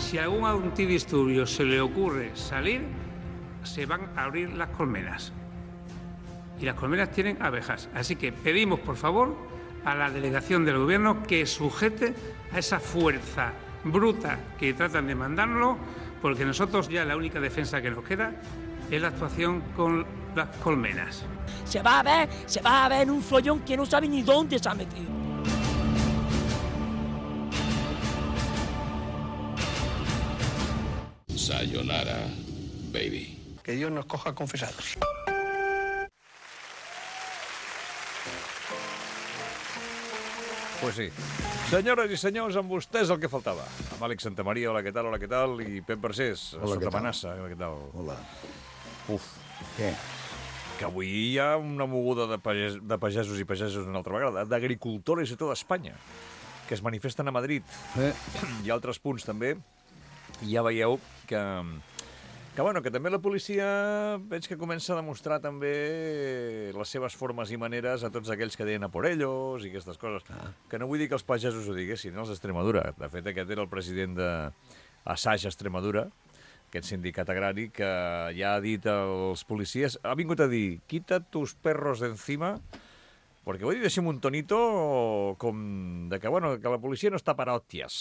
si a algún antidisturbio se le ocurre salir, se van a abrir las colmenas. Y las colmenas tienen abejas. Así que pedimos, por favor, a la delegación del gobierno que sujete a esa fuerza bruta que tratan de mandarlo, porque nosotros ya la única defensa que nos queda es la actuación con las colmenas. Se va a ver en un follón que no sabe ni dónde se ha metido. Sayonara, baby. Que Dios nos coja confesados. Pues sí. Senyores i senyors, amb vostès el que faltava. Amb Àlex Santamaria, hola, què tal? I Pep Barcés, sota amenaça, hola, què tal? Hola. Uf. Què? Que avui hi ha una moguda de pagesos i pagesos una altra vegada, d'agricultores i tot Espanya, que es manifesten a Madrid. Hi ha altres punts també, i ja veieu que també la policia veig que comença a demostrar també les seves formes i maneres a tots aquells que deien a por ellos i aquestes coses. Que no vull dir que els pagesos ho diguessin, els d'Extremadura. De fet, aquest era el president d'Assaig Extremadura, aquest sindicat agrari, que ja ha dit als policies, ha vingut a dir, quita tus perros de encima, perquè ho he dit així amb un tonito com de que, bueno, que la policia no està per hòsties,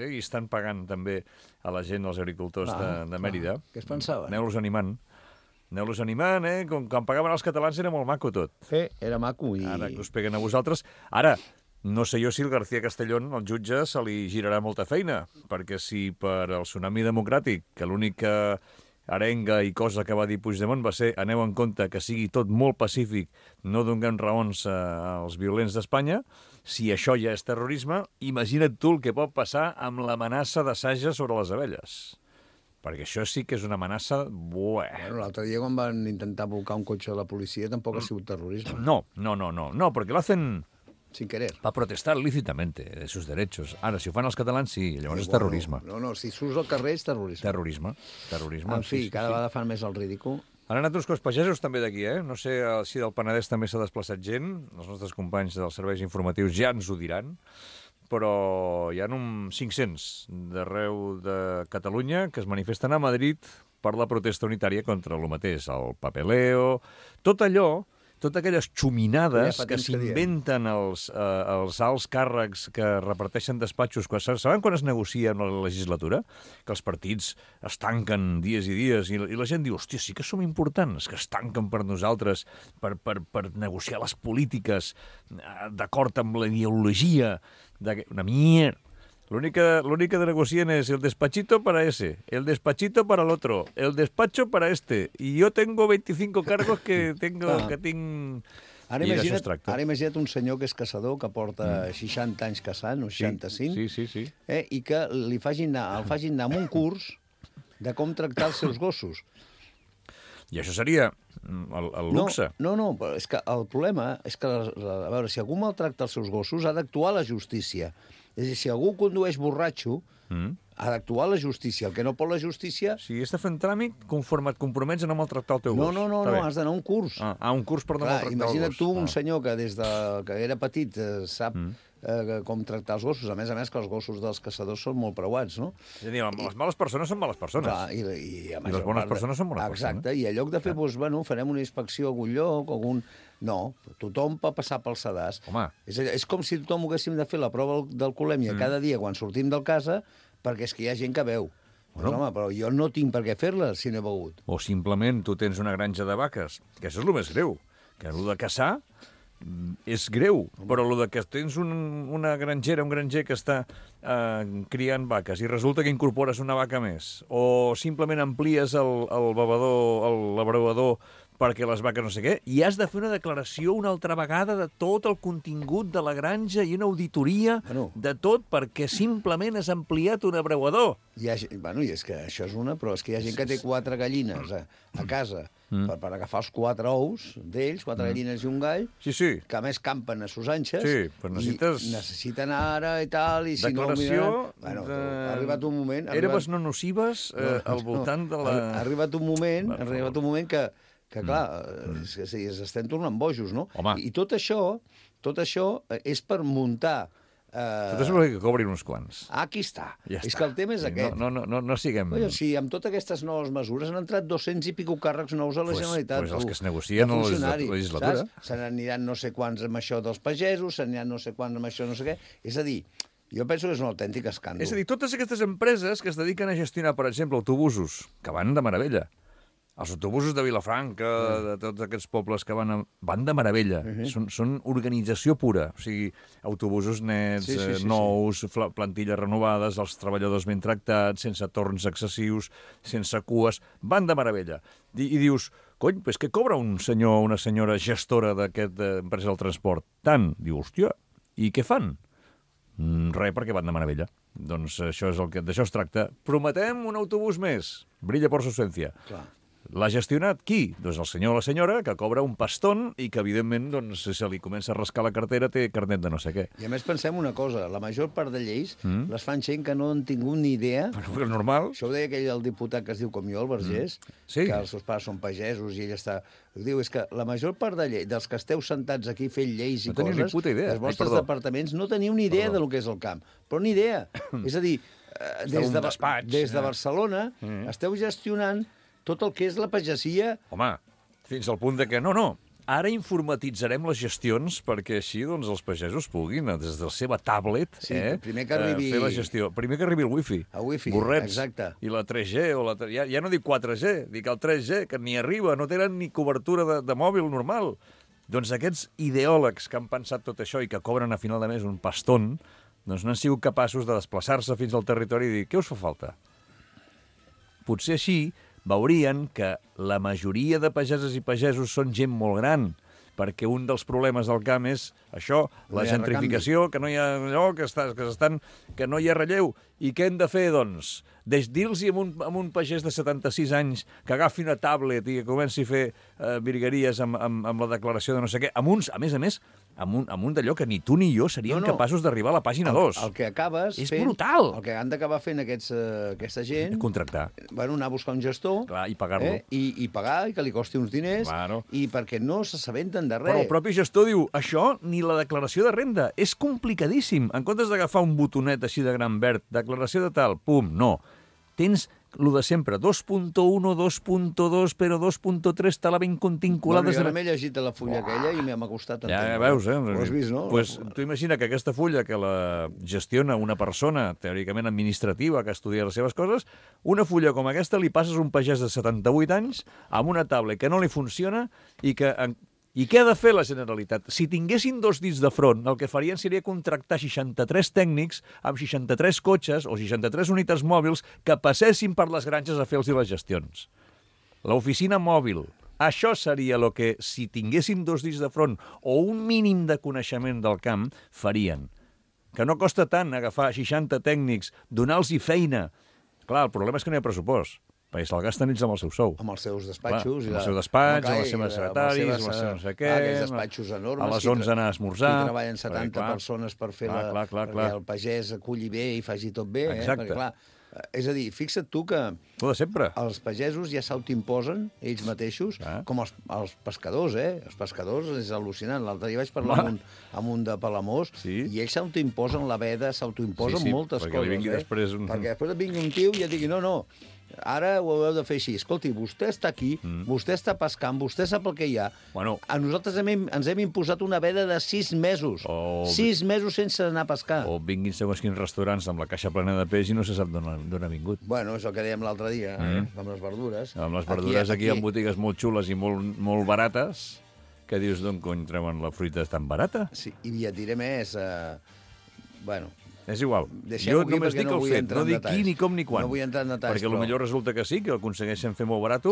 i estan pagant també a la gent, als agricultors de Mèrida. Què es pensaven? Aneu-los animant, com quan pagaven els catalans era molt maco tot. Sí, era maco. Ara que us peguen a vosaltres. Ara, no sé jo si el García Castellón, el jutge, se li girarà molta feina, perquè si per al tsunami democràtic, que l'única arenga i cosa que va dir Puigdemont va ser aneu en compte que sigui tot molt pacífic, no donem raons als violents d'Espanya, si això ja és terrorisme, imagina't tu el que pot passar amb l'amenaça de Saja sobre les abelles. Perquè això sí que és una amenaça... Bueno, l'altre dia quan van intentar volcar un cotxe de la policia tampoc ha sigut terrorisme. No, perquè lo hacen... Sin querer. Para protestar lícitamente de sus derechos. Ara, si ho fan els catalans, sí, llavors és terrorisme. No, si surts al carrer és terrorisme. Terrorisme. En fi, cada vegada fan més el ridícul. Han anat uns cos pagesos també d'aquí, No sé si del Penedès també s'ha desplaçat gent, els nostres companys dels serveis informatius ja ens ho diran, però hi ha uns 500 d'arreu de Catalunya que es manifesten a Madrid per la protesta unitària contra el mateix, el papeleo, tot allò, totes aquelles xuminades que s'inventen els alts càrrecs que reparteixen despatxos. Saben quan es negocia en la legislatura? Que els partits es tanquen dies i dies i la gent diu, hòstia, sí que som importants, que es tanquen per nosaltres per negociar les polítiques d'acord amb la ideologia. Una mierda. L'única que negocien es el despachito para ese, el despachito para el otro, el despacho para este. Y yo tengo 25 cargos que tinc... Ara imagina't un senyor que és caçador, que porta 60 anys caçant, o 65, sí. I que el facin anar amb un curs de com tractar els seus gossos. I això seria el luxe. No, però és que el problema és que, a veure, si algú maltracta els seus gossos, ha d'actuar la justícia. És a dir, si algú condueix borratxo, ha d'actuar la justícia. El que no pot la justícia... Si has de fer un tràmit, conforme et compromets a no maltractar el teu gos. No, has d'anar a un curs. Un curs per no maltractar el gos. Imagina't tu un senyor que des que era petit sap com tractar els gossos. A més, que els gossos dels caçadors són molt preuats, no? És a dir, les males persones són males persones. Clar, i les bones persones són bones persones. Exacte, i en lloc de fer, farem una inspecció a algun lloc, No, tothom pot passar pel sedàs. Home. És com si tothom haguéssim de fer la prova d'alcoholèmia cada dia quan sortim del casa, perquè és que hi ha gent que beu. Bueno. Home, però jo no tinc per què fer-la si no he begut. O simplement tu tens una granja de vaques, que això és el més greu, que el de caçar és greu, però el que tens una grangera, un granger que està criant vaques i resulta que incorpores una vaca més, o simplement amplies el labrador perquè les vaques no sé què, i has de fer una declaració una altra vegada de tot el contingut de la granja i una auditoria de tot perquè simplement has ampliat un abreuador. I és que això és però és que hi ha gent que té 4 gallines a casa per agafar els 4 ous d'ells, 4 gallines i un gall, que a més campen a sus anxes, i necessiten ara i tal, i si declaració no ho miren... Ha arribat un moment... Herbes no nocives al voltant de la... Ha arribat un moment que clar, estem tornant bojos, no? Home. I tot això és per muntar Tot és que cobrin uns quants. Aquí està. Ja és està. que el tema és aquest. No siguem... Si amb totes aquestes noves mesures han entrat 200 i pico càrrecs nous a la Generalitat. Doncs els que es negocien a la legislatura. Se n'aniran no sé quants amb això dels pagesos, se n'aniran no sé quants amb això no sé què. És a dir, jo penso que és un autèntic escàndol. És a dir, totes aquestes empreses que es dediquen a gestionar, per exemple, autobusos, que van de meravella. Els autobusos de Vilafranca, de tots aquests pobles que van de meravella. Són organització pura. O sigui, autobusos nets, nous, plantilles renovades, els treballadors ben tractats, sense torns excessius, sense cues. Van de meravella. I dius, cony, és que cobra un senyor o una senyora gestora d'aquesta empresa del transport? Tant. Diu, hòstia, i què fan? Res, perquè van de meravella. Doncs d'això es tracta. Prometem un autobús més. Brilla por su ausencia. Clar. L'ha gestionat qui? Doncs el senyor o la senyora, que cobra un paston i que, evidentment, doncs, si se li comença a rascar la cartera, té carnet de no sé què. I a més pensem una cosa, la major part de lleis les fan gent que no han tingut ni idea. Però és normal. Això ho deia el diputat que es diu com jo, el Vergés, que els seus pares són pagesos i ell està... Diu, és que la major part dels que esteu sentats aquí fent lleis i coses, ni puta idea. els vostres departaments no teniu ni idea del que és el camp. Però ni idea. És a dir, des de Barcelona esteu gestionant tot el que és la pagesia... Home, fins al punt de que ara informatitzarem les gestions perquè així doncs, els pagesos puguin, des de la seva tablet, primer que arribi... fer la gestió. Primer que arribi el wifi. El wifi, borrets. Exacte. I la 3G, ja no dic 4G, dic el 3G, que ni arriba, no tenen ni cobertura de mòbil normal. Doncs aquests ideòlegs que han pensat tot això i que cobren a final de mes un paston, doncs no han sigut capaços de desplaçar-se fins al territori i dir, què us fa falta? Potser així veurien que la majoria de pageses i pagesos són gent molt gran, perquè un dels problemes del camp és això, la gentrificació, que no hi ha allò, que no hi ha relleu. I què hem de fer, doncs? Dir-los a un pagès de 76 anys que agafi una tablet i que comenci a fer virgueries amb la declaració de no sé què, a més a més, amb un d'allò que ni tu ni jo seríem capaços d'arribar a la pàgina 2. El que acabes és fent... brutal. El que han d'acabar fent aquesta gent... Contractar. Anar a buscar un gestor... Clar, i pagar-lo. I pagar, i que li costi uns diners, i perquè no s'assabenten de res. Però el propi gestor diu, això ni la declaració de renda, és complicadíssim. En comptes d'agafar un botonet així de gran verd, declaració de tal, pum, no. Tens lo de sempre, 2.1, 2.2, però 2.3 te la ben continculada. Jo m'he llegit la fulla aquella i m'ha costat entendre. Ja veus, Ho has vist, no? Pues, tu imagina que aquesta fulla que la gestiona una persona teòricament administrativa que estudia les seves coses, una fulla com aquesta li passes a un pagès de 78 anys amb una tablet que no li funciona i que... I què ha de fer la Generalitat? Si tinguessin 2 dits de front, el que farien seria contractar 63 tècnics amb 63 cotxes o 63 unitats mòbils que passessin per les granges a fer-los les gestions. L'oficina mòbil. Això seria el que, si tinguessin 2 dits de front o un mínim de coneixement del camp, farien. Que no costa tant agafar 60 tècnics, donar-los feina. Clar, el problema és que no hi ha pressupost. Perquè se'l gasten ells amb el seu sou. Amb els seus despatxos. Amb el seu despatx, amb les seves secretaris, amb les seves no sé què... Aquells despatxos enormes. A les 11 anar a esmorzar. Aquí treballen 70 persones per fer perquè el pagès aculli bé i faci tot bé. Exacte. Perquè, clar, és a dir, fixa't tu que de sempre. Els pagesos ja s'autoimposen ells mateixos, com els pescadors, Els pescadors és al·lucinant. L'altre dia vaig parlar amb un de Palamós i ells s'autoimposen la veda, s'autoimposen moltes coses. Perquè després et vingui un tio i et digui, no, ara ho heu de fer així. Escolti, vostè està aquí, vostè està pescant, vostè sap el que hi ha. A nosaltres ens hem imposat una veda de 6 mesos. 6 mesos sense anar a pescar. O vinguin segons quins restaurants amb la caixa plena de peix i no se sap d'on ha vingut. Bueno, és el que dèiem l'altre dia, amb les verdures. Amb les verdures aquí hi ha botigues molt xules i molt barates, que dius, d'on cony treuen la fruita tan barata? Sí, i et diré més... Bueno... És igual. Jo només dic el fet, no dic qui, ni com, ni quan. No vull entrar en detalls, perquè potser resulta que sí, que aconsegueixen fer molt barat,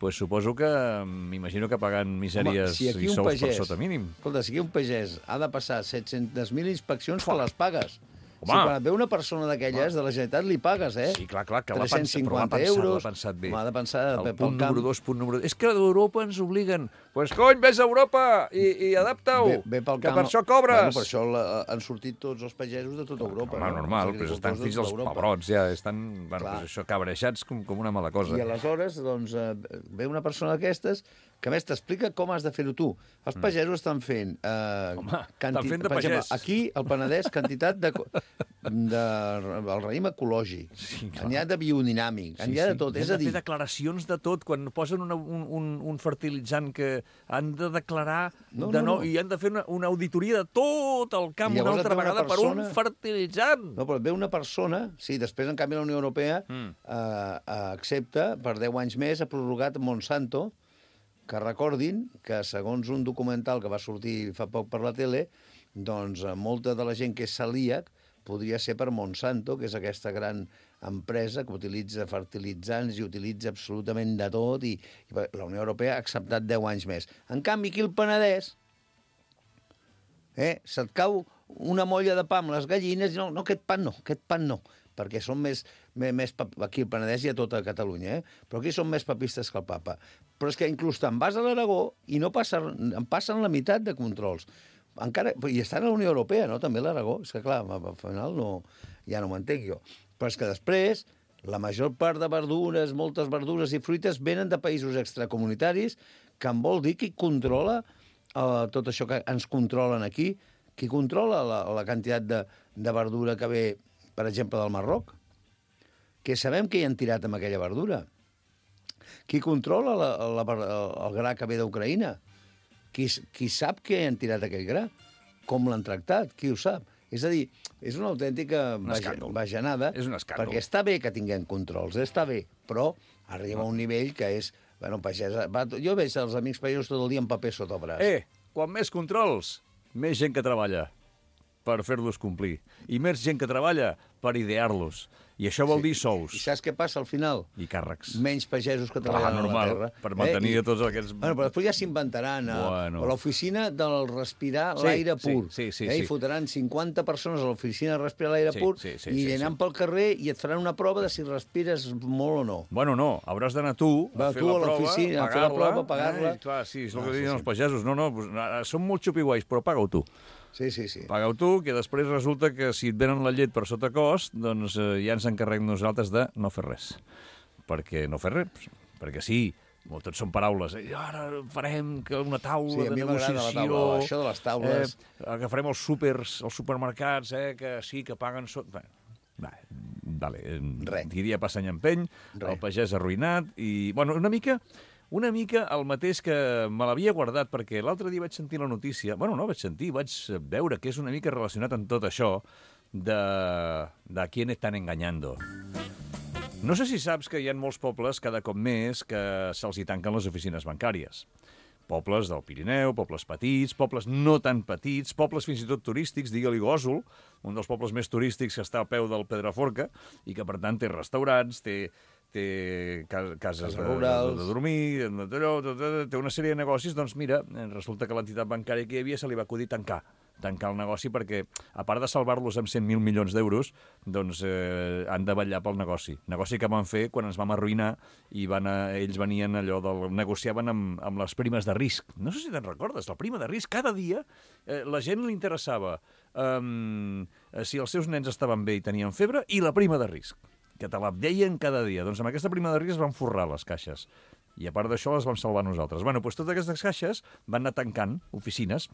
pues suposo que m'imagino que pagant misèries i sous per sota mínim. Escolta, si aquí un pagès ha de passar 700.000 inspeccions, que les pagues. Si quan et ve una persona d'aquelles de la Generalitat li pagues, Sí, clar, que 350 euros. L'ha pensat bé. M'ha de pensar el punt número 2, punt número 2. És que d'Europa ens obliguen. Pues cony, vés a Europa i adapta-ho, que per això cobres. Per això han sortit tots els pagesos de tota Europa. Home, normal, però estan fins als pebrots, ja. Estan, això, cabreixats com una mala cosa. I aleshores, doncs, ve una persona d'aquestes que a més t'explica com has de fer-ho tu. Els pagesos estan fent... estan fent de per exemple, pagès. aquí, al Penedès, quantitat el raïm ecològic. Sí, n'hi ha de biodinàmic, n'hi ha de tot. És a dir... Han de fer declaracions de tot. Quan posen un fertilitzant que han de declarar i han de fer una auditoria de tot el camp una altra vegada per un fertilitzant. No, però ve una persona... Sí, després, en canvi, la Unió Europea accepta, per 10 anys més, ha prorrogat Monsanto, que recordin que, segons un documental que va sortir fa poc per la tele, doncs molta de la gent que és celíac podria ser per Monsanto, que és aquesta gran empresa que utilitza fertilitzants i utilitza absolutament de tot, i la Unió Europea ha acceptat 10 anys més. En canvi, aquí al Penedès, se't cau una molla de pa amb les gallines i no, aquest pan no, perquè són més aquí al Penedès i a tota Catalunya, però aquí són més papistes que el papa. Però és que inclús te'n vas a l'Aragó i en passen la meitat de controls. I estan a la Unió Europea, no?, també l'Aragó. És que, clar, al final ja no m'entenc jo. Però és que després, la major part de verdures, moltes verdures i fruites venen de països extracomunitaris, que en vol dir qui controla tot això que ens controlen aquí, qui controla la quantitat de verdura que ve, per exemple, del Marroc, que sabem que hi han tirat amb aquella verdura. Qui controla el gra que ve d'Ucraïna? Qui sap que hi han tirat aquell gra? Com l'han tractat? Qui ho sap? És a dir, és una autèntica bajanada, perquè està bé que tinguem controls, està bé, però arriba a un nivell que és... Bueno, pagesa... Jo veig els amics pagesos tot el dia amb paper sota el braç. Quan més controls, més gent que treballa per fer-los complir. I més gent que treballa per idear-los. I això vol dir sous. I saps què passa al final? I càrrecs. Menys pagesos que treballen a la terra. Per mantenir tots aquests... Bueno, però després ja s'inventaran a l'oficina del respirar l'aire pur. I fotran 50 persones a l'oficina de respirar l'aire pur i aniran pel carrer i et faran una prova de si respires molt o no. Bueno, no. Hauràs d'anar tu a fer la prova, pagar-la. Clar, sí, és el que diuen els pagesos. No, són molt xupiguais, però paga-ho tu. Sí. Paga-ho tu, que després resulta que si et venen la llet per sota cost, doncs ja ens encarreguem nosaltres de no fer res. Perquè no fer res, perquè sí, tot són paraules. Ara farem una taula de negociació. Sí, a mi m'agrada la taula, això de les taules. Agafarem els supermercats, que sí, que paguen... Diria passa any empeny, el pagès arruïnat, i, bueno, una mica el mateix que me l'havia guardat, perquè l'altre dia vaig sentir la notícia, bueno, no vaig sentir, vaig veure que és una mica relacionat amb tot això de quién están engañando. No sé si saps que hi ha molts pobles cada cop més que se'ls hi tanquen les oficines bancàries. Pobles del Pirineu, pobles petits, pobles no tan petits, pobles fins i tot turístics, digue-li Gósol, un dels pobles més turístics que està al peu del Pedraforca i que, per tant, té restaurants, té cases de dormir, té una sèrie de negocis. Doncs mira, resulta que l'entitat bancària que hi havia se li va acudir tancar el negoci perquè, a part de salvar-los amb 100.000 milions d'euros, doncs han de vetllar pel negoci. Negoci que van fer quan ens vam arruïnar i ells venien negociaven amb les primes de risc. No sé si te'n recordes, la prima de risc. Cada dia la gent li interessava si els seus nens estaven bé i tenien febre i la prima de risc, que te la deien cada dia. Doncs amb aquesta prima de risc es van forrar les caixes. I a part d'això les vam salvar nosaltres. Bueno, doncs totes aquestes caixes van anar tancant oficines.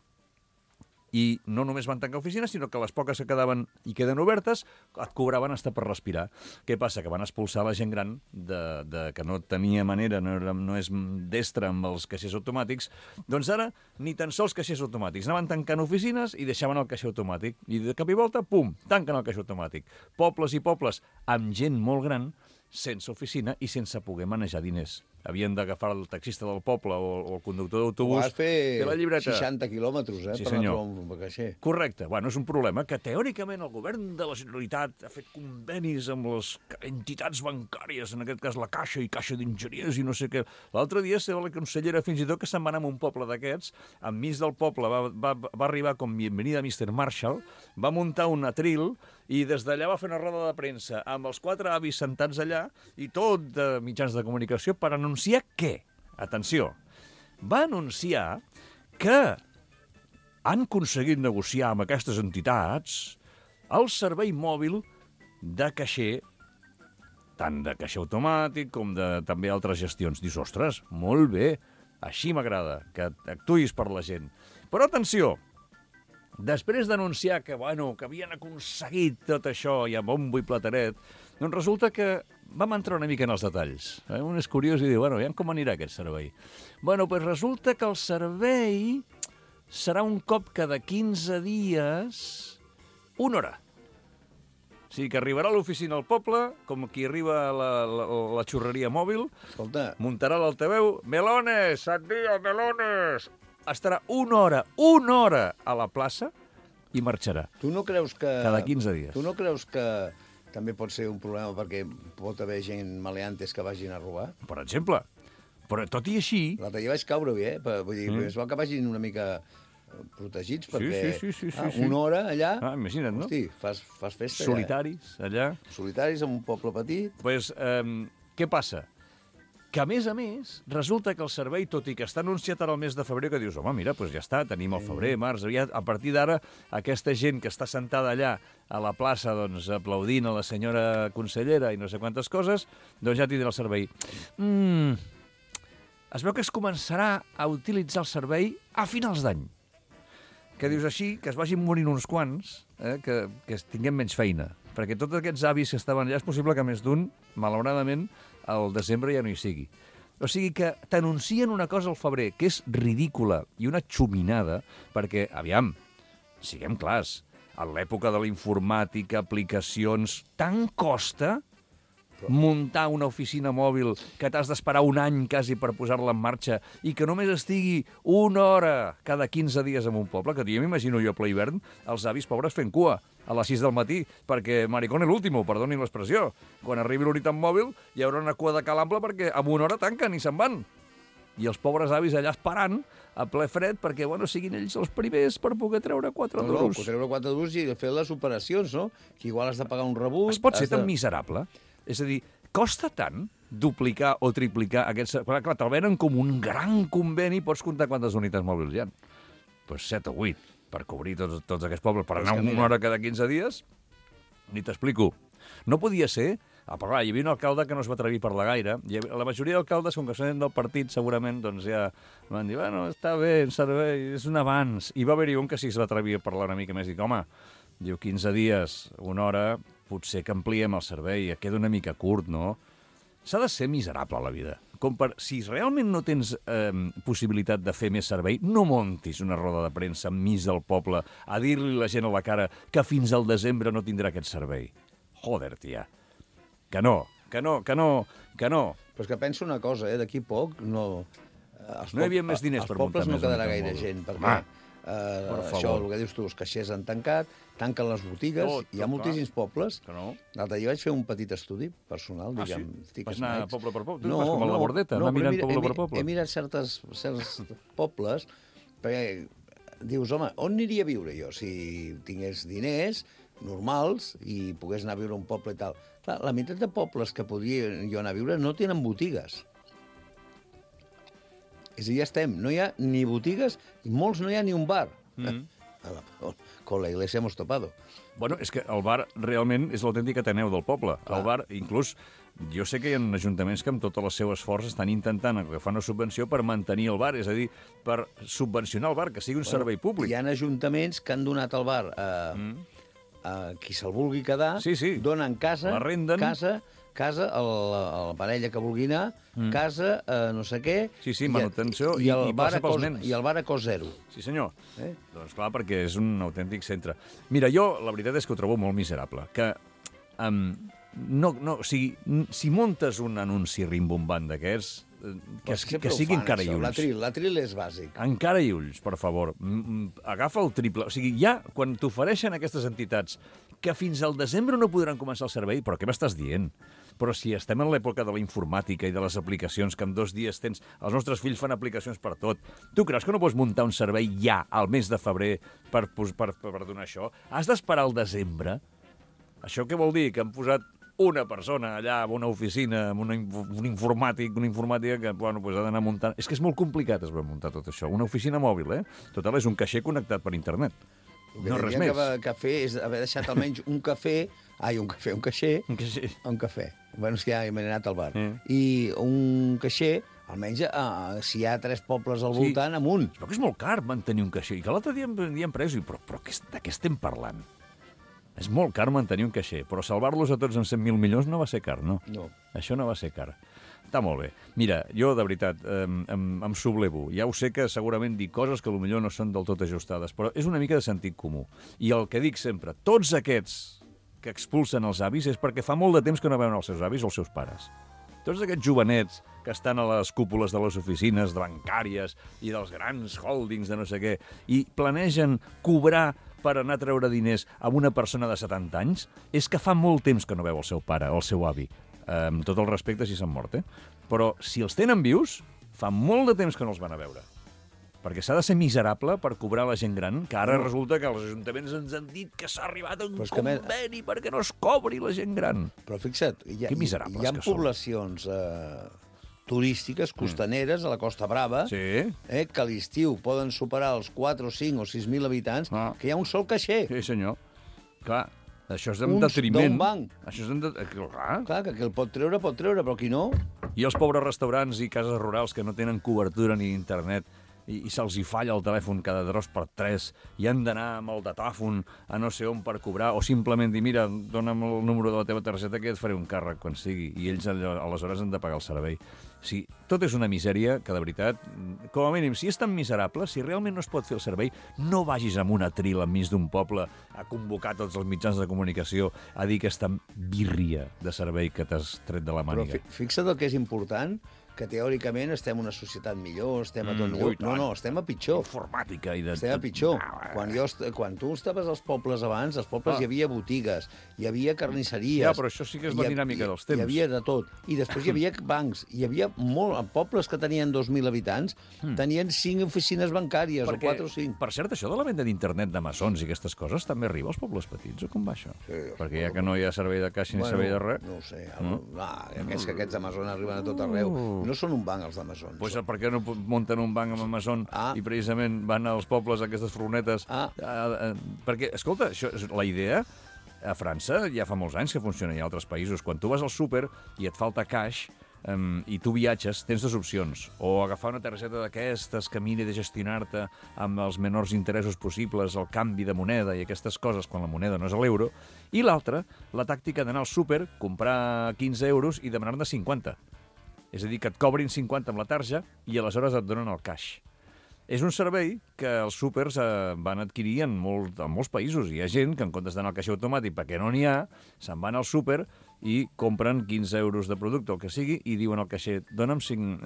I no només van tancar oficines, sinó que les poques que quedaven i queden obertes et cobraven hasta per respirar. Què passa? Que van expulsar la gent gran que no tenia manera, no és destra amb els caixers automàtics. Doncs ara, ni tan sols caixers automàtics. Anaven tancant oficines i deixaven el caixer automàtic. I de cap i volta, pum, tanquen el caixer automàtic. Pobles i pobles amb gent molt gran, sense oficina i sense poder manejar diners. Havien d'agafar el taxista del poble o el conductor d'autobús. Vas fer 60 quilòmetres, sí, per anar a trobar un caixer. Correcte. Bueno, és un problema que teòricament el govern de la Generalitat ha fet convenis amb les entitats bancàries, en aquest cas la Caixa i Caixa d'Enginyers i no sé què. L'altre dia la consellera fins i tot que se'n va anar a un poble d'aquests, enmig del poble va arribar com bienvenida Mr. Marshall, va muntar un atril i des d'allà va fer una roda de premsa amb els 4 avis sentats allà i tot de mitjans de comunicació per anunciar què? Atenció, va anunciar que han aconseguit negociar amb aquestes entitats el servei mòbil de caixer, tant de caixer automàtic com de també altres gestions. Dius, ostres, molt bé, Així m'agrada, que actuïs per la gent. Però atenció, després d'anunciar que havien aconseguit tot això i a bombo i plateret, doncs resulta que vam entrar una mica en els detalls. Un és curiós i diu, ja com anirà aquest servei? Doncs resulta que el servei serà un cop cada 15 dies, 1 hora. O sigui que arribarà a l'oficina al poble, com qui arriba a la xurreria mòbil, muntarà l'altaveu, melones, sant dia, melones! Estarà 1 hora a la plaça i marxarà. Tu no creus que... Cada 15 dies. Tu no creus que també pot ser un problema perquè pot haver gent maleantes que vagin a robar? Per exemple. Però tot i així... L'altre dia vaig caure-hi, Vull dir, és bo que vagin una mica protegits, perquè sí. 1 hora allà... Imagina't, no? Hosti, fas festa. Solitaris, allà. Solitaris en un poble petit. Doncs, què passa? Que, a més, resulta que el servei, tot i que està anunciat ara el mes de febrer, que dius, home, mira, doncs ja està, tenim el febrer, març, a partir d'ara, aquesta gent que està sentada allà a la plaça, doncs, aplaudint a la senyora consellera i no sé quantes coses, doncs ja tindrà el servei. Es veu que es començarà a utilitzar el servei a finals d'any. Que dius així, que es vagin morint uns quants, que tinguem menys feina. Perquè tots aquests avis que estaven allà, és possible que més d'un, malauradament, al desembre ja no hi sigui. O sigui que t'anuncien una cosa al febrer que és ridícula i una xuminada, perquè, aviam, siguem clars, a l'època de la informàtica, aplicacions, tant costa muntar una oficina mòbil que t'has d'esperar un any quasi per posar-la en marxa i que només estigui 1 hora cada 15 dies en un poble, que jo m'imagino jo a ple hivern, els avis pobres fent cua a les 6 del matí, perquè maricón l'último, perdonin l'expressió. Quan arribi l'unitat mòbil hi haurà una cua de calample perquè en 1 hora tanquen i se'n van. I els pobres avis allà esperant a ple fred perquè, siguin ells els primers per poder treure 4 duros. Treure 4 duros i fer les operacions, no? Que igual has de pagar un rebut... Es pot ser tan miserable? És a dir, costa tant duplicar o triplicar aquests... Clar, te'l venen com un gran conveni, pots comptar quantes unitats mòbils hi ha. Doncs 7 o 8, per cobrir tots aquests pobles, per anar 1 hora cada 15 dies, ni t'explico. No podia ser... Però hi havia un alcalde que no es va atrevir a parlar gaire, i la majoria d'alcaldes, com que són del partit, segurament, doncs ja van dir, està bé, el servei, és un avanç. I va haver-hi un que sí es va atrevir a parlar una mica més, i dic, home, diu, 15 dies, 1 hora, potser que ampliem el servei, queda una mica curt, no? S'ha de ser miserable a la vida. Si realment no tens possibilitat de fer més servei, no montis una roda de premsa enmig del poble a dir-li a la gent a la cara que fins al desembre no tindrà aquest servei. Joder, tia. Que no. Però és que penso una cosa, d'aquí poc no... No hi havia més diners per muntar més. Als pobles no quedarà gaire gent, perquè això, el que dius tu, els caixers han tancat, tanquen les botigues, hi ha moltíssims pobles. L'altre dia vaig fer un petit estudi personal, diguem. Vas anar poble per poble? Tu vas com a la bordeta, anar mirant poble per poble? He mirat certs pobles, perquè dius, home, on aniria a viure jo si tingués diners normals i pogués anar a viure a un poble i tal? Clar, la meitat de pobles que podria jo anar a viure no tenen botigues. És a dir, ja estem. No hi ha ni botigues i molts no hi ha ni un bar. Con la iglesia hemos topado. Bueno, és que el bar realment és l'autèntic Ateneu del poble. Clar. El bar, inclús, jo sé que hi ha ajuntaments que amb tot el seu esforç estan intentant agafar una subvenció per mantenir el bar, és a dir, per subvencionar el bar, que sigui un servei públic. Hi ha ajuntaments que han donat el bar a qui se'l vulgui quedar, donen casa, casa a la parella que vulgui anar, casa, no sé què... Sí, manutenció i passa pels nens. I el bar a cost zero. Sí, senyor. Doncs clar, perquè és un autèntic centre. Mira, jo la veritat és que ho trobo molt miserable, que si muntes un anunci rimbombant d'aquests, que sigui encara i ulls. L'atril és bàsic. Encara i ulls, per favor. Agafa el triple. O sigui, ja, quan t'ofereixen aquestes entitats que fins al desembre no podran començar el servei, però què m'estàs dient? Però si estem en l'època de la informàtica i de les aplicacions, que en 2 dies tens... Els nostres fills fan aplicacions per tot. Tu creus que no pots muntar un servei ja, al mes de febrer, per donar això? Has d'esperar al desembre? Això què vol dir? Que han posat una persona allà en una oficina, amb un informàtic, una informàtica que ha d'anar muntant... És que és molt complicat es va muntar tot això. Una oficina mòbil, Total, és un caixer connectat per internet. No res més. El que fer és haver deixat almenys un cafè... un caixer. Un cafè. Bueno, és que ja m'he anat al bar. I un caixer Almenys si hi ha 3 pobles al voltant, amunt. Però que és molt car mantenir un caixer. I que l'altre dia em preso, però de què estem parlant? És molt car mantenir un caixer, però salvar-los a tots amb 100.000 milions no va ser car, no? No. Això no va ser car. Està molt bé. Mira, jo, de veritat, em sublevo. Ja ho sé que segurament dic coses que potser no són del tot ajustades, però és una mica de sentit comú. I el que dic sempre, tots aquests que expulsen els avis és perquè fa molt de temps que no veuen els seus avis o els seus pares. Tots aquests jovenets que estan a les cúpules de les oficines bancàries i dels grans holdings de no sé què i planegen cobrar per anar a treure diners a una persona de 70 anys, és que fa molt temps que no veu el seu pare o el seu avi. Amb tot el respecte si s'han mort, Però si els tenen vius, fa molt de temps que no els van a veure. Perquè s'ha de ser miserable per cobrar la gent gran, que ara resulta que els ajuntaments ens han dit que s'ha arribat a un conveni perquè no es cobri la gent gran. Però fixa't, hi ha poblacions turístiques, costaneres, a la Costa Brava, que a l'estiu poden superar els 4, 5 o 6.000 habitants, que hi ha un sol caixer. Sí, senyor. Clar, això és en detriment. D'un banc. Això és Clar, que el pot treure, però qui no... I els pobres restaurants i cases rurals que no tenen cobertura ni internet i se'ls hi falla el telèfon cada 2 per 3 i han d'anar amb el datàfon a no sé on per cobrar, o simplement dir, mira, dona'm el número de la teva targeta que et faré un càrrec quan sigui, i ells aleshores han de pagar el servei. Sí, tot és una misèria que, de veritat, com a mínim, si és tan miserable, si realment no es pot fer el servei, no vagis amb una tril enmig d'un poble a convocar tots els mitjans de comunicació a dir aquesta birria de servei que t'has tret de la màniga. Però fixa't el que és important, que teòricament estem en una societat millor, estem a tot millor. No, estem a pitjor. Informàtica i de... Estem a pitjor. Quan tu estaves als pobles abans, als pobles hi havia botigues, hi havia carnisseries... Ja, però això sí que és la dinàmica dels temps. Hi havia de tot. I després hi havia bancs. Hi havia pobles que tenien 2.000 habitants, tenien 5 oficines bancàries, o 4 o 5. Per cert, això de la venda d'internet de maçons i aquestes coses també arriba als pobles petits, o com va això? Perquè ja que no hi ha servei de caixa ni servei de res... No ho sé. Aquests d'Amazon arriben a tot arreu. No són un banc, els d'Amazon. Pues per què no munten un banc amb Amazon i precisament van als pobles, a aquestes furgonetes? Perquè, escolta, la idea a França ja fa molts anys que funciona, i a altres països. Quan tu vas al súper i et falta cash i tu viatges, tens 2 opcions. O agafar una targeta d'aquestes que miri de gestionar-te amb els menors interessos possibles, el canvi de moneda i aquestes coses, quan la moneda no és l'euro. I l'altra, la tàctica d'anar al súper, comprar 15 euros i demanar-ne 50. És a dir, que et cobrin 50 amb la tarja i aleshores et donen el cash. És un servei que els súpers van adquirir en molts països. Hi ha gent que en comptes d'anar al caixer automàtic perquè no n'hi ha, se'n van al súper i compren 15 euros de producte, el que sigui, i diuen al caixer,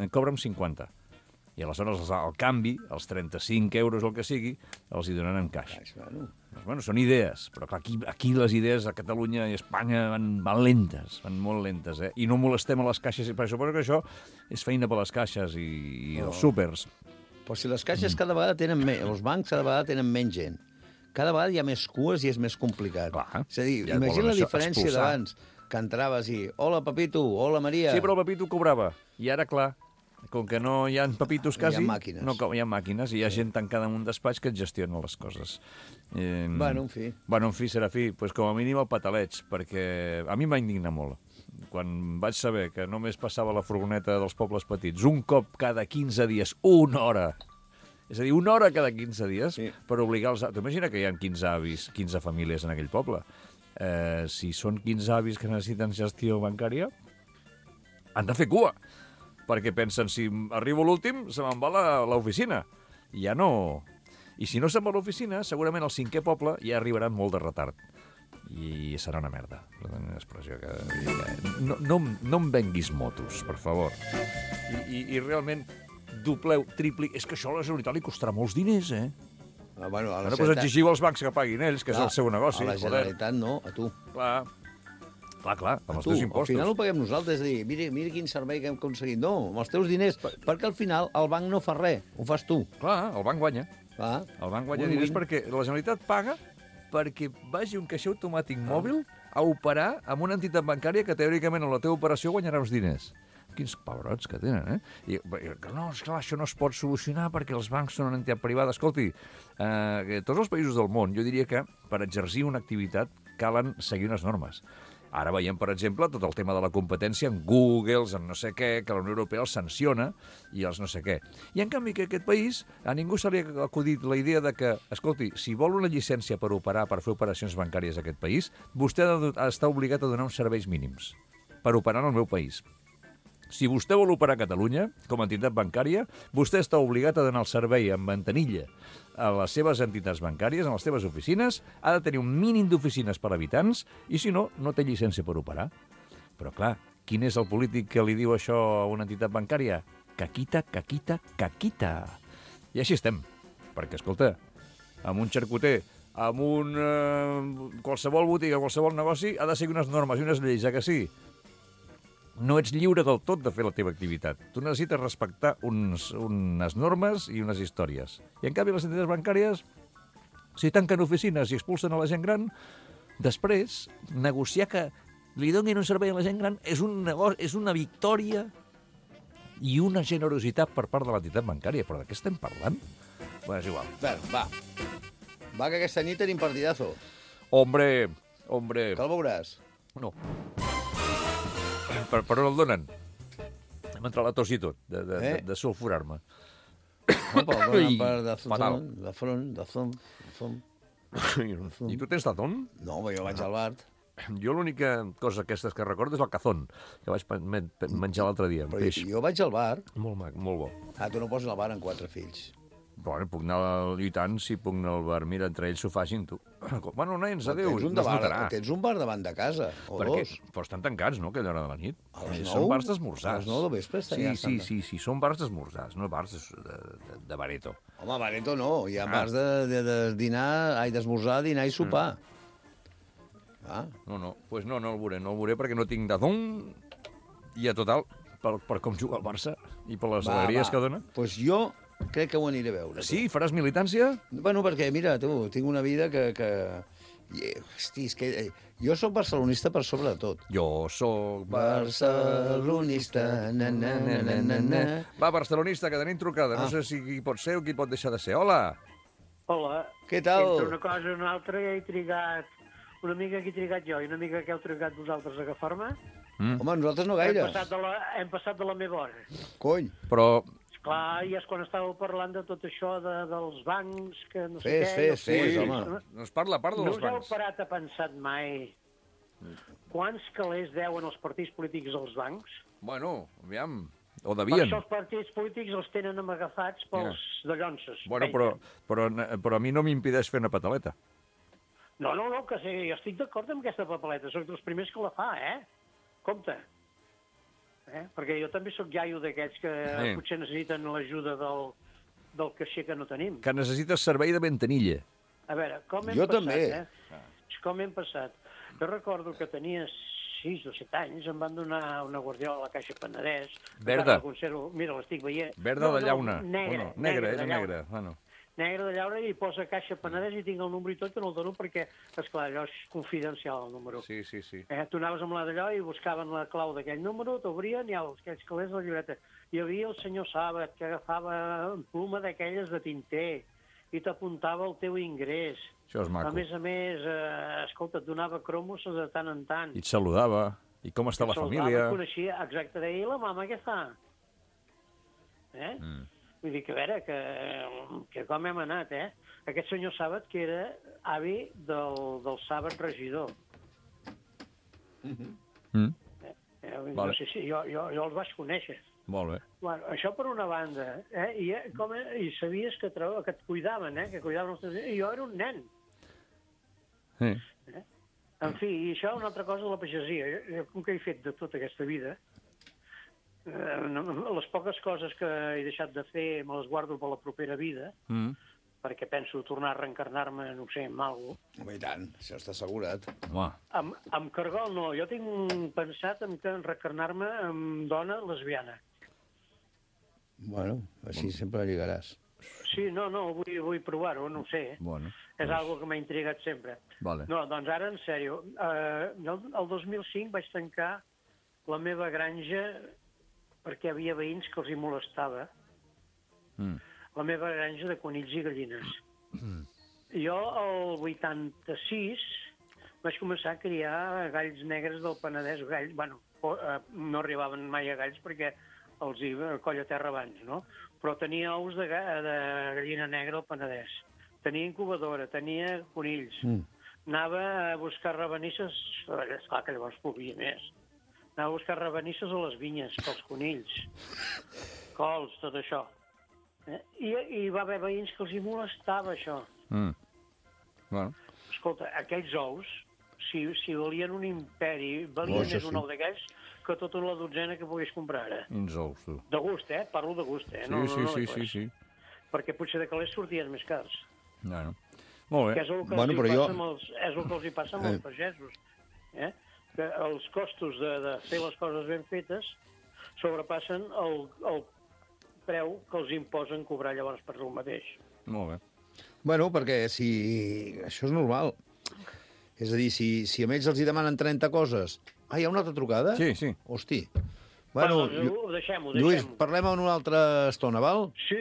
cobra'm 50. I aleshores el canvi, els 35 euros o el que sigui, els hi donen en caix. Bueno, són idees, però clar, aquí les idees a Catalunya i a Espanya van lentes, van molt lentes, I no molestem a les caixes, perquè suposo que això és feina per les caixes i els súpers. Però si les caixes cada vegada tenen els bancs cada vegada tenen menys gent. Cada vegada hi ha més cues i és més complicat. Clar, és a dir, imagina la diferència d'abans, que entraves i hola, Pepito, hola, Maria. Sí, però el Pepito cobrava. I ara, clar, com que no hi ha pepitos quasi... Hi ha màquines. No, hi ha màquines i hi ha gent tancada en un despatx que et gestiona les coses. Bueno, en fi. Bueno, en fi, Serafí, pues com a mínim el pataleig, perquè a mi em va indignar molt. Quan vaig saber que només passava la furgoneta dels pobles petits un cop cada 15 dies, 1 hora, és a dir, 1 hora cada 15 dies, per obligar els... T'imagina que hi ha 15 avis, 15 famílies en aquell poble. Si són 15 avis que necessiten gestió bancària, han de fer cua, perquè pensen, si arribo l'últim, se me'n va l'oficina. I ja no... I si no se'n va a l'oficina, segurament al 5è poble ja arribaran molt de retard. I serà una merda. Expressió que... No em venguis motos, per favor. I realment, dobleu, tripli... És que això a la Generalitat li costarà molts diners, Bueno, ara pues exigiu als bancs que paguin ells, que és el seu negoci. A la Generalitat no, a tu. Clar, amb els teus impostos. Al final ho paguem nosaltres, és a dir, mira quin servei que hem aconseguit. No, amb els teus diners, perquè al final el banc no fa res, ho fas tu. Clar, el banc guanya. El banc guanya diners perquè la Generalitat paga perquè vagi un caixer automàtic mòbil a operar amb una entitat bancària que teòricament en la teva operació guanyarà uns diners. Quins pebrots que tenen, I no, esclar, això no es pot solucionar perquè els bancs són una entitat privada. Escolti, tots els països del món, jo diria que per exercir una activitat calen seguir unes normes. Ara veiem, per exemple, tot el tema de la competència en Google, en no sé què, que la Unió Europea els sanciona i els no sé què. I, en canvi, que aquest país, a ningú se li ha acudit la idea de que, escolti, si vol una llicència per operar, per fer operacions bancàries a aquest país, vostè ha d'estar obligat a donar uns serveis mínims per operar en el meu país. Si vostè vol operar a Catalunya, com a entitat bancària, vostè està obligat a donar el servei en ventanilla a les seves entitats bancàries, a les seves oficines, ha de tenir un mínim d'oficines per habitants, i si no, no té llicència per operar. Però, clar, quin és el polític que li diu això a una entitat bancària? Caquita, caquita, caquita. I així estem. Perquè, escolta, amb un xarcuter, amb qualsevol botiga, qualsevol negoci, ha de seguir unes normes i unes lleis, que sí? No ets lliure del tot de fer la teva activitat. Tu necessites respectar unes normes i unes històries. I, en canvi, les entitats bancàries, si tanquen oficines i expulsen a la gent gran, després, negociar que li donin un servei a la gent gran és una victòria i una generositat per part de l'entitat bancària. Però de què estem parlant? Bé, és igual. Va, que aquesta nit tenim partidazo. Hombre. Que el veuràs? No. Per on el donen? Hem entrat a la tos i tot, de sulfurar-me. No, però el donen per Dazón. I tu tens Dazón? No, jo vaig al bar. Jo l'única cosa aquestes que recordo és el cazón, que vaig menjar l'altre dia, amb peix. Jo vaig al bar. Molt mac, molt bo. Tu no pots anar al bar amb 4 fills. Bueno, puc anar lluitant, si puc anar al bar. Mira, entre ells s'ho facin, tu. Bueno, nens, adéu. Tens un bar davant de casa, o dos. Però estan tancats, no?, aquella hora de la nit. A les 9? Són bars d'esmorzars. A les 9 del vespre està ja. Sí, són bars d'esmorzars, no bars de bareto. Home, bareto no. Hi ha bars de dinar, d'esmorzar, dinar i sopar. No, pues no el veuré perquè no tinc Dazón i a total, per com juga el Barça i per les alegries que dona. Pues jo crec que ho aniré a veure. Sí? Faràs militància? Bueno, perquè, mira, tu, tinc una vida que... Hosti, és que jo sóc barcelonista per sobre de tot. Jo sóc barcelonista, Va, barcelonista, que tenim trucada. No sé si qui pot ser o qui pot deixar de ser. Hola! Hola. Què tal? Entre una cosa i una altra he trigat... Una mica que he trigat jo i una mica que heu trigat vosaltres a agafar-me. Home, nosaltres no gaire. Hem passat de la meva hora. Cony. Però... Clar, i és quan estàveu parlant de tot això dels bancs, que no sé què... Fes, home. No es parla dels bancs. No us heu parat a pensar mai quants calés deuen els partits polítics als bancs? Bueno, aviam, o devien. Per això els partits polítics els tenen amagafats pels dallonses. Bueno, però a mi no m'impedeix fer una pataleta. No, que sí, jo estic d'acord amb aquesta papeleta. Soc dels primers que la fa, Compte. Perquè jo també sóc iaio d'aquests que potser necessiten l'ajuda del caixer que no tenim. Que necessites servei de ventanilla. A veure, com hem passat, també. Com hem passat. Jo recordo que tenia 6 o 7 anys, em van donar una guardiola a la Caixa Penedès. Verda. Mira, l'estic veient. Verda de llauna. Negra. Bueno. Negre de llauna i posa Caixa Penedès i tinc el número i tot, que no el dono perquè, esclar, allò és confidencial, el número. Sí. Tu anaves amb la d'allò i buscaven la clau d'aquell número, t'obrien i aquells calés de la llibreta. Hi havia el senyor Sàbat, que agafava pluma d'aquelles de tinter i t'apuntava el teu ingrés. Això és maco. A més, escolta, et donava cromos de tant en tant. I et saludava. I com està la família. Et coneixia, exacte, deia, i la mama què fa? Vull dir que, a veure, que com hem anat, Aquest senyor Sàbat, que era avi del Sàbat regidor. No sé si jo els vaig conèixer. Molt bé. Bueno, això per una banda. I sabies que et cuidaven, que cuidaven els teus... I jo era un nen. En fi, i això una altra cosa, la pagesia. Jo, com que he fet de tota aquesta vida... les poques coses que he deixat de fer me les guardo per la propera vida, perquè penso tornar a reencarnar-me, no ho sé, en algo. Home, i tant, això està assegurat. Amb cargol no, jo tinc pensat en reencarnar-me en dona lesbiana. Bueno, així sempre lligaràs. Sí, no, vull provar-ho, no ho sé. És algo que m'ha intrigat sempre. No, doncs ara, en sèrio, el 2005 vaig tancar la meva granja perquè hi havia veïns que els hi molestava. La meva granja de conills i gallines. Jo, el 86, vaig començar a criar galls negres del Penedès. No arribaven mai a galls perquè els hi colla terra abans, no? Però tenia ous de gallina negra al Penedès. Tenia incubadora, tenia conills. Anava a buscar rabanisses, esclar que llavors podia més. Anava a buscar rabanisses a les vinyes, pels conills, cols, tot això. I hi va haver veïns que els hi molestava això. Bueno. Escolta, aquells ous, si valien un imperi, valien més un ou d'aquells que tota la dotzena que pogués comprar ara. Uns ous, tu. De gust, Parlo de gust, Sí. Perquè potser de calés sortien més cars. No. Molt bé. Que és el que els hi passa amb els pagesos. Que els costos de fer les coses ben fetes sobrepassen el preu que els imposen cobrar llavors per el mateix. Molt bé. Bueno, perquè això és normal. És a dir, si a ells els hi demanen 30 coses... Hi ha una altra trucada? Sí. Hosti. Bueno, deixem-ho. Lluís, parlem en una altra estona, val? Sí,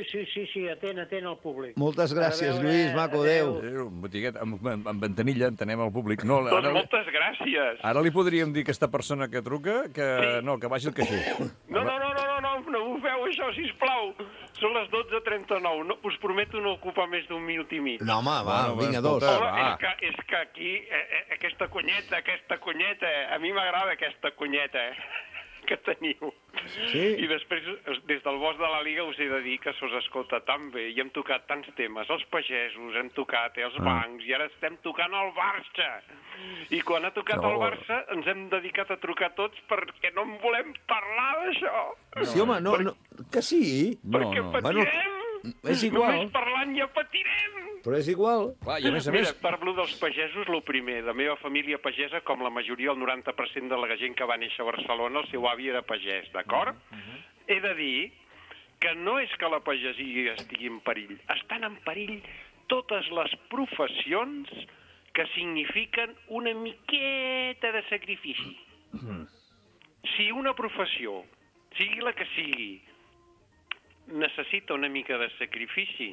atent al públic. Moltes gràcies, Lluís, maco, adéu. Botiguet, amb ventanilla, entenem al públic. No, doncs moltes gràcies. Ara li podríem dir a aquesta persona que truca que vagi al caixer. No ho feu això, sisplau. Són les 12:39. No, us prometo no ocupar més d'un minut i mig. No, home, vinga, dos. És que aquí, aquesta cunyeta, a mi m'agrada aquesta cunyeta, que teniu. Sí. I després, des del bosc de la Liga, us he de dir que s'us escolta tan bé i hem tocat tants temes. Els pagesos, hem tocat els bancs, i ara estem tocant el Barça. I quan ha tocat el Barça, ens hem dedicat a trucar tots perquè no en volem parlar d'això. Sí, home, que sí. Perquè patirem. És igual. Només parlant ja patirem. Però és igual. Clar, i a més... Mira, parlo dels pagesos, el primer. La meva família pagesa, com la majoria, el 90% de la gent que va néixer a Barcelona, el seu avi era pagès, d'acord? He de dir que no és que la pagesia estigui en perill. Estan en perill totes les professions que signifiquen una miqueta de sacrifici. Si una professió, sigui la que sigui, necessita una mica de sacrifici,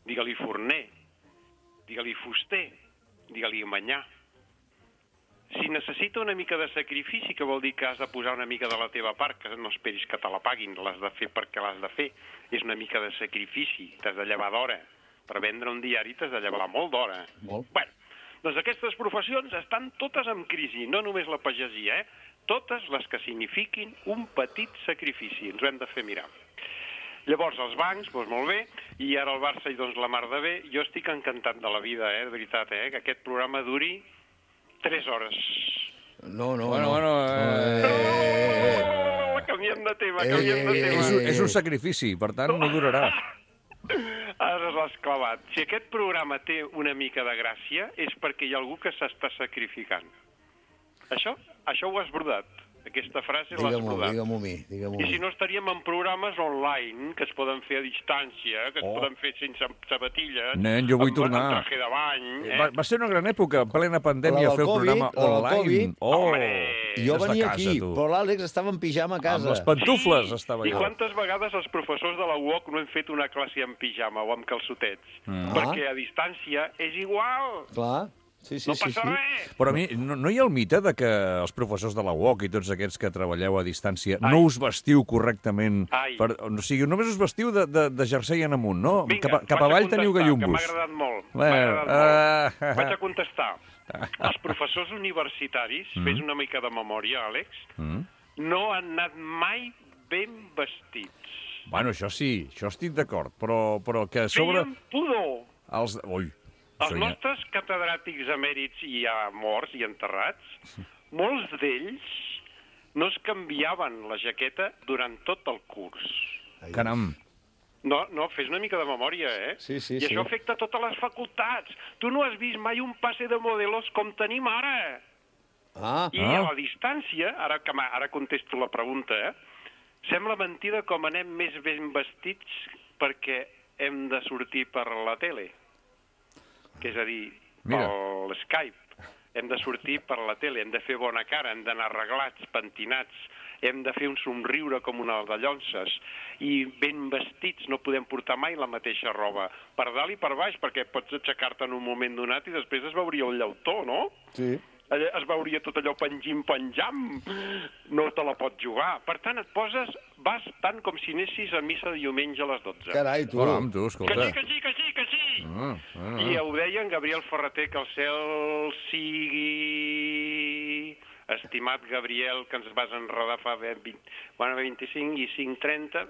digue-li forner, digue-li fuster, digue-li manyà. Si necessita una mica de sacrifici, que vol dir que has de posar una mica de la teva part, que no esperis que te la paguin, l'has de fer perquè l'has de fer, és una mica de sacrifici, t'has de llevar d'hora. Per vendre un diari t'has de llevar molt d'hora. Bueno, doncs aquestes professions estan totes en crisi, no només la pagesia, totes les que signifiquin un petit sacrifici. Ens ho hem de fer mirar. Llavors, els bancs, doncs molt bé, i ara el Barça, i doncs la mar de bé. Jo estic encantat de la vida, de veritat, que aquest programa duri 3 hores. No. Bueno. Canviem de tema, És un sacrifici, per tant, no durarà. Ara l'has clavat. Si aquest programa té una mica de gràcia, és perquè hi ha algú que s'està sacrificant. Això ho has brodat. Aquesta frase l'has brodat. Digue-m'ho a mi. I si no estaríem en programes online, que es poden fer a distància, que es poden fer sense sabatilles, nen, jo vull tornar. amb traje de bany... Va ser una gran època, en plena pandèmia, fer el programa online. Jo venia aquí, però l'Àlex estava en pijama a casa. Amb les pantufles estava allà. I quantes vegades els professors de la UOC no hem fet una classe en pijama o amb calçotets? Perquè a distància és igual. Clar. Sí. No passa res. Però a mi, no hi ha el mite de que els professors de la UOC i tots aquests que treballeu a distància no us vestiu correctament? O sigui, només us vestiu de jersei en amunt, no? Vinga, cap avall teniu gallumbos. Que m'ha agradat molt. Vaig a contestar. Els professors universitaris, fes una mica de memòria, Àlex, no han anat mai ben vestits. Bueno, això sí, això estic d'acord, però que a sobre... Feien pudor. Els nostres catedràtics emèrits i ja morts i enterrats, molts d'ells no es canviaven la jaqueta durant tot el curs. Caram. No, fes una mica de memòria, Sí. I això afecta totes les facultats. Tu no has vist mai un passe de modelos com tenim ara. I a la distància, ara contesto la pregunta, sembla mentida com anem més ben vestits perquè hem de sortir per la tele. Que és a dir, per l'Skype. Hem de sortir per la tele, hem de fer bona cara, hem d'anar arreglats, pentinats, hem de fer un somriure com una de llonces, i ben vestits, no podem portar mai la mateixa roba, per dalt i per baix, perquè pots aixecar-te en un moment donat i després es veuria el llautó, no? Sí. es veuria tot allò penjam, no te la pots jugar. Per tant, vas tant com si anessis a missa de diumenge a les 12. Carai, tu. Caram, tu, escolta. Que sí. I ho deia en Gabriel Ferreter, que el cel sigui... Estimat Gabriel, que ens vas enredar fa 25 i 30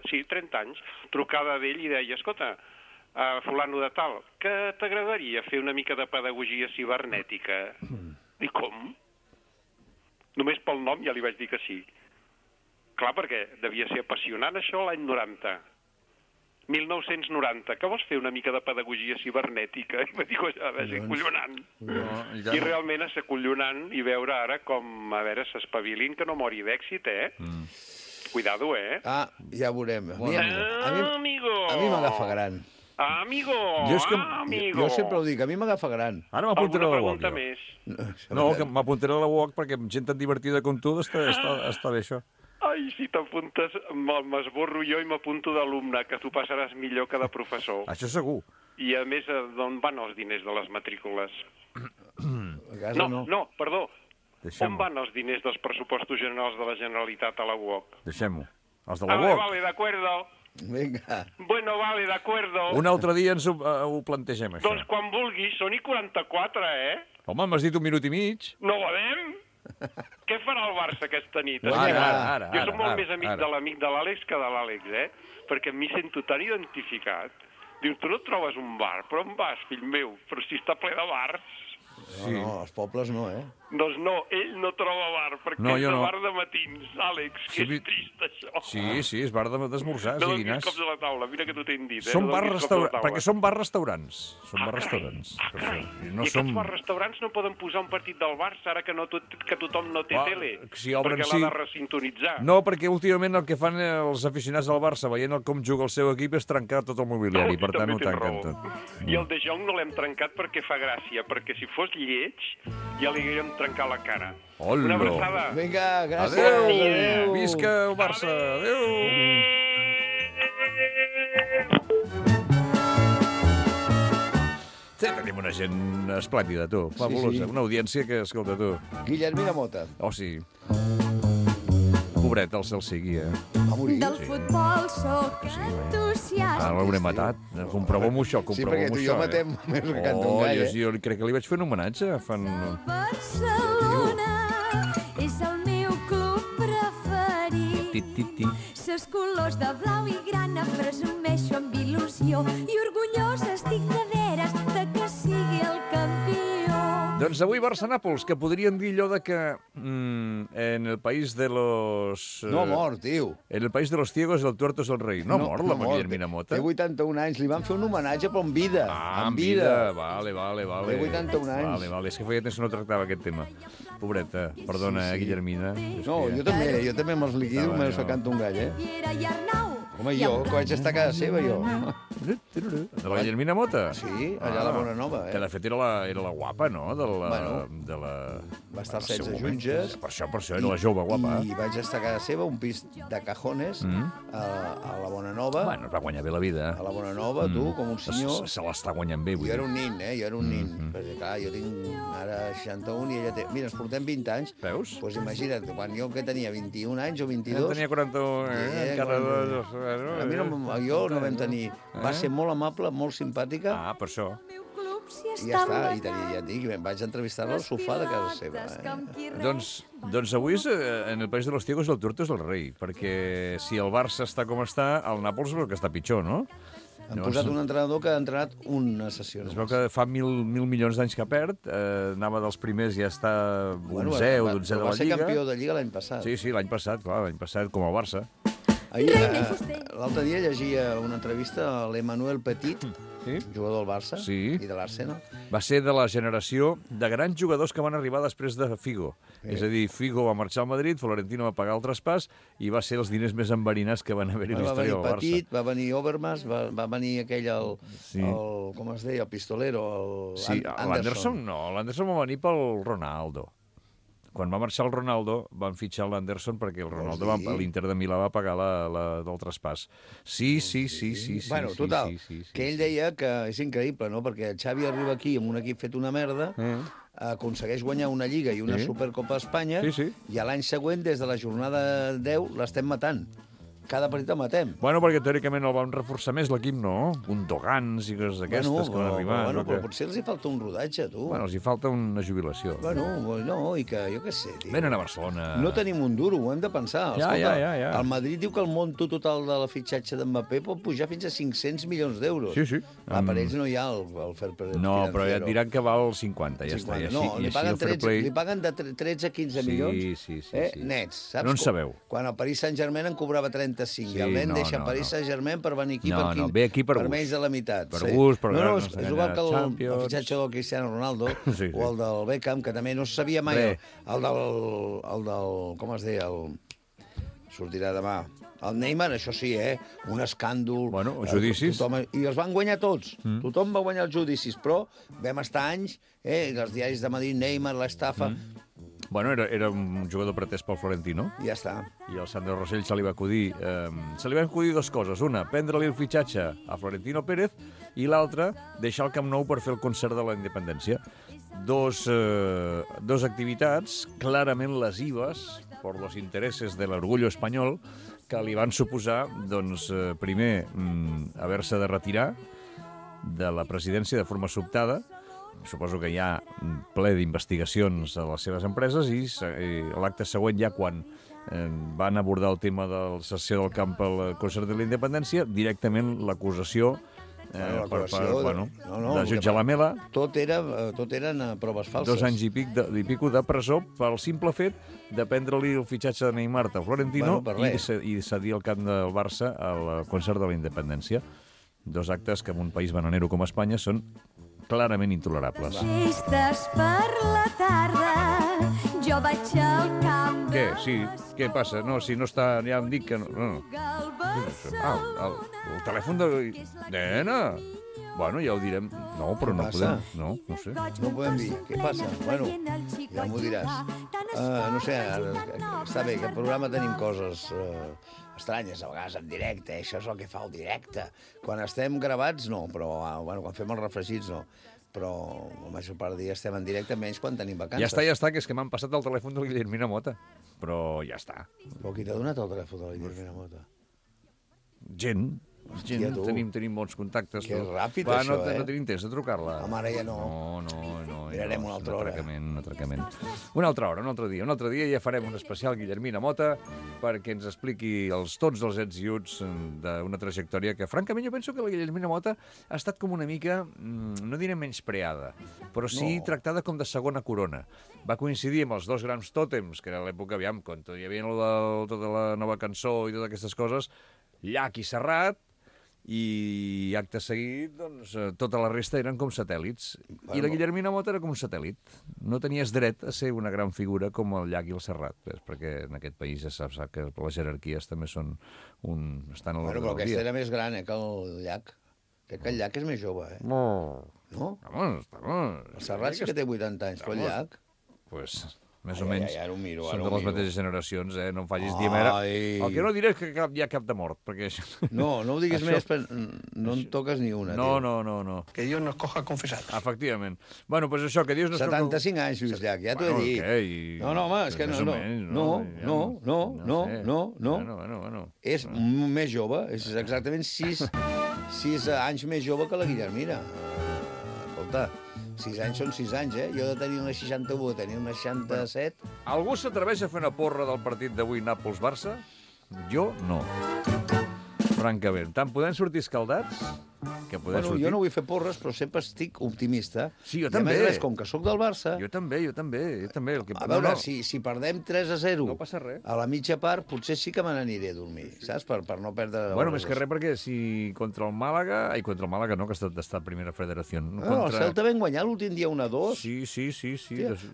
anys, trucava d'ell i deia, escolta, fulano de tal, que t'agradaria fer una mica de pedagogia cibernètica? I com? Només pel nom ja li vaig dir que sí. Clar, perquè devia ser apassionant això l'any 90. 1990, que vols fer una mica de pedagogia cibernètica? I va dir, a veure, és acollonant. I realment és acollonant i veure ara com, a veure, s'espavilin, que no mori d'èxit, Cuidado, ja veurem. Amigo! A mi m'agafa gran. Amigo! Jo sempre ho dic, a mi m'agafa gran. Ara m'apuntaré a la UOC. Alguna pregunta més? No, que m'apuntaré a la UOC perquè amb gent tan divertida com tu està bé això. Ai, si t'apuntes, m'esborro jo i m'apunto d'alumne, que tu passaràs millor que de professor. Això segur. I a més, d'on van els diners de les matrícules? No, perdó. On van els diners dels pressupostos generals de la Generalitat a la UOC? Deixem-ho. Els de la UOC? Vale, de acuerdo. Vinga. Bueno, vale, de acuerdo. Un altre dia ens ho plantegem, això. Doncs quan vulguis, són i 44, Home, m'has dit 1 minut i mig. No podem? Què farà el Barça aquesta nit? Ara. Jo soc molt més amic de l'amic de l'Àlex que de l'Àlex, perquè em sento tan identificat. Diu, tu no trobes un bar, però on vas, fill meu? Però si està ple de bars. No, els pobles no, Doncs no, ell no troba bar, perquè és de bar de matins, Àlex, que és trist, això. Sí, és bar d'esmorzars i dinars. No donis cops a la taula, mira que t'ho t'he dit, perquè són bar-restaurants. Són bar-restaurants. I aquests bar-restaurants no poden posar un partit del Barça, ara que tothom no té tele, perquè l'ha de resintonitzar. No, perquè últimament el que fan els aficionats del Barça, veient com juga el seu equip, és trencar tot el mobiliari, per tant ho tanquen tot. I el De Jong no l'hem trencat perquè fa gràcia, perquè si fos lleig, ja li haguérem trencar la cara. Hola. Una abraçada. Vinga, gràcies. Adéu. Visca el Barça. Adéu. Sí, tenim una gent esplèndida, tu. Fabulosa. Una audiència que, escolta, tu. Guillermina Mota. Oh, sí. Pobret, el cel sigui, Va morir. Del futbol sóc entusiasta. Ara l'hauré matat. Comprovem-ho això, Sí, perquè tu i jo matem més que canta un gall, Jo crec que li vaig fer un homenatge. Barcelona és el meu club preferit. Ses colors de blau i grana presumeixo amb il·lusió i orgullosa estic de veres de que sigui el campió. Doncs avui Barça-Nàpols, que podríem dir allò de que en el país de los... No ha mort, tio. En el país de los ciegos el tuerto és el rei. No ha mort la Guillermina Mota? Té 81 anys, li van fer un homenatge, però en vida. En vida. Vale. Té 81 anys. Vale. És que feia temps que no tractava aquest tema. Pobreta, perdona, Guillermina. No, jo també me'ls liquido, me canto un gall, Home, jo, que vaig estar a casa seva, jo. De la Guillermina Mota? Sí, allà a la Bonanova, Que de fet era la guapa, no? Va estar 16 junges. Per això era la jove guapa. I vaig estar a casa seva, un pis de cajones, a la Bonanova. Bueno, es va guanyar bé la vida. A la Bonanova, tu, com un senyor. Se l'està guanyant bé, vull dir. Jo era un nin, Jo era un nin. Perquè, clar, jo tinc ara 61 i ella té... Mira, ens portem 20 anys. Veus? Doncs imagina't, quan jo que tenia 21 anys o 22... Jo tenia 41, encara... A mi jo no vam tenir... Va ser molt amable, molt simpàtica. Per això. I ja està, i ja et dic, vaig entrevistar-la al sofà de casa seva. Doncs avui en el país de los ciegos el tuerto és el rei, perquè si el Barça està com està, el Nàpols és el que està pitjor, no? Han posat un entrenador que ha entrenat una sessió. Es veu que fa 1.000 milions d'anys que perd, anava dels primers i ja està 11 o 12 de la Lliga. Va ser campió de Lliga l'any passat. Sí, l'any passat, com el Barça. L'altre dia llegia una entrevista a l'Emmanuel Petit, jugador del Barça i de l'Arsenal. Va ser de la generació de grans jugadors que van arribar després de Figo. És a dir, Figo va marxar al Madrid, Florentino va pagar el traspàs i va ser els diners més enverinats que van haver-hi a la història del Barça. Petit, va venir Overmars, va venir aquell, com es deia, el pistolero, l'Anderson no, l'Anderson va venir pel Ronaldo. Quan va marxar el Ronaldo, van fitxar l'Anderson perquè el Ronaldo, l'Inter de Milà, va pagar del traspàs. Sí. Bueno, total, que ell deia que és increïble, no?, perquè Xavi arriba aquí amb un equip fet una merda, aconsegueix guanyar una Lliga i una Supercopa d'Espanya, i a l'any següent, des de la jornada 10, l'estem matant. Cada partit el matem. Bueno, perquè teòricament el vam reforçar més l'equip, no? Gundogans i coses d'aquestes que van arribar. Bueno, però potser els hi falta un rodatge, tu. Bueno, els hi falta una jubilació. Bueno, no, i que, jo què sé, tio. Venen a Barcelona. No tenim un duro, ho hem de pensar. Ja. El Madrid diu que el monto total de la fitxatge d'Mbappé pot pujar fins a 500 milions d'euros. Sí. Per ells no hi ha el fair play financiero. No, però ja et diran que val 50, ja està. No, li paguen de 13 a 15 milions nets, saps? No en sabeu. Quan el Paris Saint-Germain en cobrava 35, i el nen deixa Paris Saint-Germain per venir aquí per menys de la meitat. Per gust, per ganes. És igual que el fitxatge del Cristiano Ronaldo o el del Beckham, que també no se sabia mai. El del... com es deia? Sortirà demà. El Neymar, això sí, un escàndol. Bueno, judicis. I els van guanyar tots. Tothom va guanyar els judicis, però vam estar anys, els diaris de Madrid, Neymar, l'estafa... Bueno, era un jugador pretès pel Florentino. Ja està. I al Sandro Rosell se li va acudir dues coses. Una, prendre-li el fitxatge a Florentino Pérez, i l'altra, deixar el Camp Nou per fer el concert de la independència. Dos activitats clarament lesives per los intereses de l'orgullo espanyol que li van suposar, doncs, primer, haver-se de retirar de la presidència de forma sobtada. Suposo que hi ha ple d'investigacions a les seves empreses, i l'acte següent, ja quan van abordar el tema de la cessió del camp al concert de la independència, directament l'acusació de jutjar la Mela. Tot eren proves falses. 2 anys i pico de presó pel simple fet de prendre-li el fitxatge de Neymar a Florentino i cedir el camp del Barça al concert de la independència. 2 actes que en un país bananero com Espanya són clarament intolerables. Festes per la tarda, jo vaig al camp... Què? Sí, què passa? No, si no està... Ja em dic que no... El telèfon de... Nena! Bueno, ja ho direm. No, però no podem... No sé. No podem dir. Què passa? Bueno, ja m'ho diràs. No sé, està bé, que al programa tenim coses estranyes, a vegades en directe, això és el que fa el directe. Quan estem gravats, no, però quan fem els refregits, no. Però la major part del dia estem en directe, menys quan tenim vacances. Ja està, que és que m'han passat el telèfon de la Guillermina Mota. Però ja està. Però qui t'ha donat el telèfon de la Guillermina Mota? Gent. Tenim bons contactes. Que ràpid, això, No tenim temps de trucar-la. Home, ara ja no. No. Mirarem una altra hora. Un atracament. Una altra hora, un altre dia. Un altre dia ja farem un especial Guillermina Mota perquè ens expliqui tots els ets i uts d'una trajectòria que, francament, jo penso que la Guillermina Mota ha estat com una mica, no diré menyspreada, però sí tractada com de segona corona. Va coincidir amb els 2 grans tòtems, que era l'època, quan hi havia tota la nova cançó i totes aquestes coses, Llach i Serrat, i acte seguit, doncs, tota la resta eren com satèl·lits. I la Guillermina Mota era com un satèl·lit. No tenies dret a ser una gran figura com el Llach i el Serrat, perquè en aquest país ja saps que les jerarquies també són estan a l'ordre del dia. Però aquesta era més gran, que el Llach. Crec que el Llach és més jove, No? Vamos. El Serrat sí que té 80 anys, però el Llach... Pues... més o menys, ara ho miro, són de les mateixes generacions, no em facis dir mera. El que no diré és que hi ha cap de mort, perquè... No ho diguis més, no en toques ni una, tio. No. Que Dios nos coja confesados. Efectivament. Bueno, pues això, que Dios nos... 75 anys, Lluís Llach, ja t'ho he dit. No, home, és que no. És més jove, és exactament 6 anys més jove que la Guillermina. Escolta... 6 anys són 6 anys, Jo de tenir una 61, de tenir una 67... Algú s'atreveix a fer una porra del partit d'avui Nàpols-Barça? Jo no. Francament. Tant podem sortir escaldats... Jo no vull fer porres, però sempre estic optimista. Sí, jo també. I a més, com que sóc del Barça... Jo també. A veure, si perdem 3-0 no passa res. A la mitja part, potser sí que me n'aniré a dormir, saps? Per no perdre... Bueno, més que res, perquè si contra el Màlaga... Contra el Màlaga no, que està a primera federació. No, el Celta vam guanyar l'últim dia 1-2. Sí.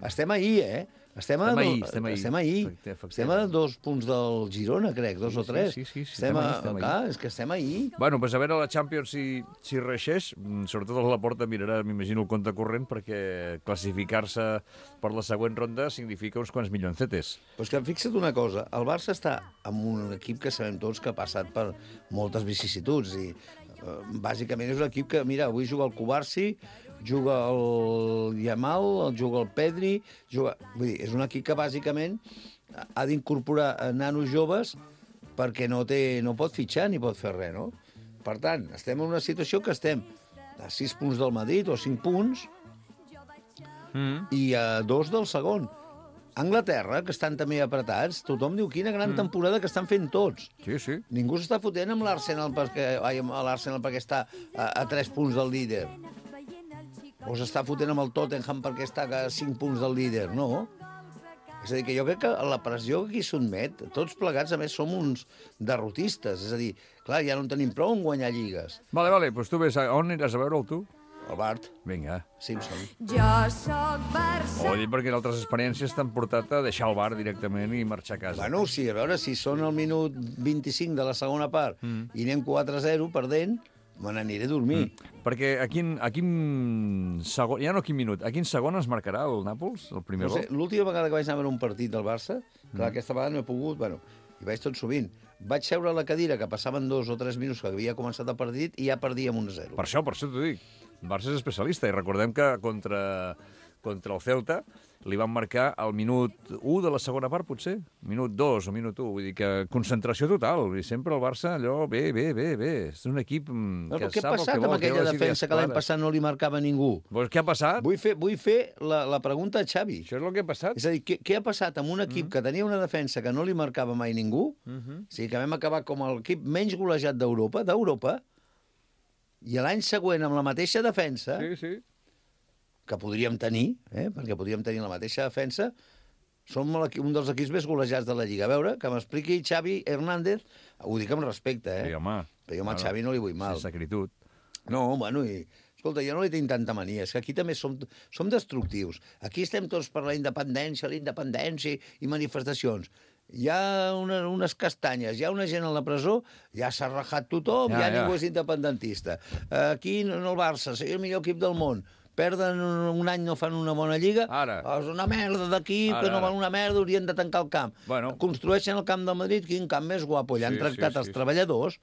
Estem ahir, Estem ahir. Estem a 2 punts del Girona, crec, 2 o 3. Sí. Estem ahir. Bueno, pues a veure la Champions si reixeix. Sobretot el Laporta mirarà, m'imagino, el compte corrent, perquè classificar-se per la següent ronda significa uns quants milloncetes. Pues que fixa't una cosa, el Barça està amb un equip que sabem tots que ha passat per moltes vicissituds i bàsicament és un equip que, mira, avui juga el Cubarsi, juga el Yamal, juga el Pedri, vull dir, és un equip que bàsicament ha d'incorporar nanos joves perquè no pot fitxar ni pot fer res, no? Per tant, estem en una situació que estem a 6 punts del Madrid o 5 punts i a 2 del segon. Anglaterra, que estan també apretats, tothom diu quina gran temporada que estan fent tots. Sí. Ningú s'està fotent amb l'Arsenal perquè està a 3 punts del líder. O s'està fotent amb el Tottenham perquè està a 5 punts del líder, no? És a dir, que jo crec que la pressió que aquí sotmet, tots plegats, a més, som uns derrotistes. És a dir, clar, ja no en tenim prou en guanyar lligues. Vale, doncs tu ves, on aniràs a veure'l, tu? El Bart. Vinga. Simpson. Jo soc Barça. Ho dic perquè en altres experiències t'han portat a deixar el bar directament i marxar a casa. Bueno, sí, a veure, si són al minut 25 de la segona part i anem 4-0 perdent, me n'aniré a dormir. Perquè a quin segon, ja no a quin minut, a quin segon es marcarà el Nàpols, el primer gol? L'última vegada que vaig anar a veure un partit del Barça, clar, aquesta vegada no he pogut, bueno, hi vaig tot sovint, vaig seure a la cadira que passaven 2 o 3 minuts que havia començat el partit i ja perdíem 1-0. Per això t'ho dic. El Barça és especialista i recordem que contra el Celta li van marcar al minut 1 de la segona part, potser, minut 2 o minut 1, vull dir que concentració total, i sempre el Barça allò, bé, és un equip que què sap el que vol. Què ha passat amb aquella defensa que l'any passat no li marcava ningú? Pues què ha passat? Vull fer la pregunta a Xavi. Això és el que ha passat. És a dir, què ha passat amb un equip que tenia una defensa que no li marcava mai ningú, o sigui, que vam acabar com l'equip menys golejat d'Europa, i l'any següent amb la mateixa defensa, que podríem tenir, perquè podríem tenir la mateixa defensa, som un dels equips més golejats de la Lliga. A veure, que m'expliqui Xavi Hernández, ho dic amb respecte, Sí, home. Però jo a Xavi no li vull mal. Sense acritud. No, bueno, escolta, jo no li tinc tanta mania, és que aquí també som destructius. Aquí estem tots per la independència i manifestacions. Hi ha unes castanyes, hi ha una gent a la presó, ja s'ha rajat tothom, ja ningú és independentista. Aquí, en el Barça, és el millor equip del món. Perden un any, no fan una bona lliga. Ara. És una merda d'equip, que no val una merda, haurien de tancar el camp. Bueno. Construeixen el camp del Madrid, quin camp més guapo. Allà han tractat els treballadors